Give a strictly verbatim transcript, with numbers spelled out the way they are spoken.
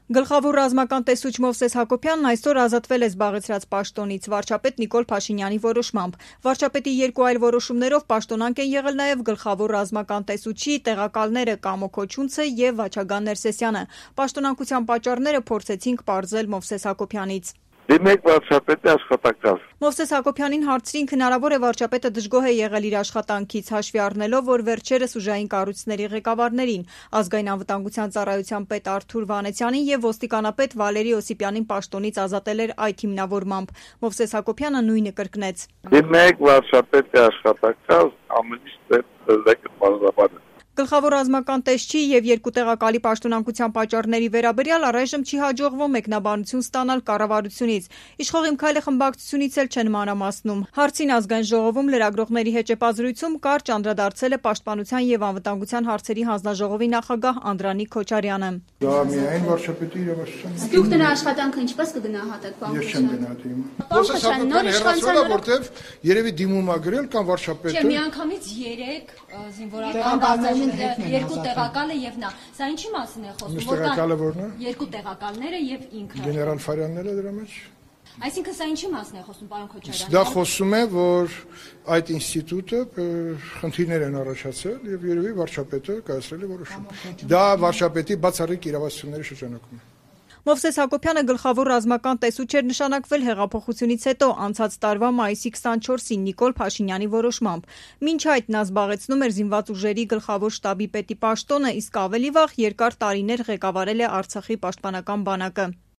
Գլխավոր ռազմական տեսուչ Մովսես Հակոբյանն այսօր ազատվել է զբաղեցրած պաշտոնից վարչապետ Նիկոլ Փաշինյանի որոշմամբ։ Վարչապետի երկու այլ որոշումներով պաշտոնանկ են եղել նաև գլխավոր ռազմական տեսուչի տեղակալները Կամո Քոչունցը եւ Վաչագան Ներսեսյանը։ Պաշտոնանկության պատճառները փորձեցինք պարզել Մովսես Հակոբյանից։ Դիմեք վարչապետի աշխատակաց։ Մովսես Հակոբյանին հարցրինք հնարավոր է վարչապետը դժգոհ է եղել իր աշխատանքից, հաշվի առնելով, որ վերջերս ուժային կառույցների ղեկավարներին, ազգային անվտանգության ծառայության պետ Արթուր Վանեցյանին եւ ոստիկանապետ Վալերի Օսիպյանին պաշտոնից ազատել էր այդ հիմնավորմամբ։ Մովսես Հակոբյանը նույնը կրկնեց։ Դիմեք վարչապետի աշխատակաց, ամենից պետք է Գլխավոր ռազմական տեսչի եւ երկու տեղակալի պաշտոնանկության պատճառների վերաբերյալ առայժմ չի հաջողվում մեկնաբանություն ստանալ կառավարությունից։ Իշխող Իմ քայլը խմբակցությունից էլ չեն մանրամասնում։ Հարցին ազգային ժողովում լրագրողների հեճեպազրույցում կարճ անդրադարձել է Պաշտպանության եւ անվտանգության հարցերի հանձնաժողովի նախագահ Անդրանիկ Քոչարյանը։ Դա միայն վարչապետի իրավասության։ Դուք դրա աշխատանքը ինչպես կգնահատեք, պարոն Ես չեմ գնահատի։ Պրոֆեսոր նոր իշխանության որտեվ երևի դիմում ա գրել կամ վարչապետը։ Չէ, միանգամից երեք զինվորական բազային երկու տեղակալը եւ նա։ Սա ինչի մասին է խոսում, որ տեղակալը որն է։ Երկու տեղակալները եւ ինքը։ Գեներալ Ֆարյանները դրա մեջ։ Այսինքն սա ինչի մասին է խոսում, պարոն Քոչարյան։ Դա խոսում է, որ այդ ինստիտուտը խնդիրներ են առաջացել եւ երևի վարչապետը կայացրել է որոշում։ Դա վարչապետի բացառիկ իրավասությունների շրջանակում է։ Մովսես Հակոբյանը գլխավոր ռազմական տեսուչ էր նշանակվել հեղափոխությունից հետո անցած տարվա մայիսի քսանչորսին Նիկոլ Փաշինյանի որոշմամբ։ Մինչ այդ նա զբաղեցնում էր զինված ուժերի գլխավոր շտաբի պետի պաշտոնը, իսկ ավելի վաղ երկար տարիներ ղեկավարել է Արցախի պաշտպանական բանակը։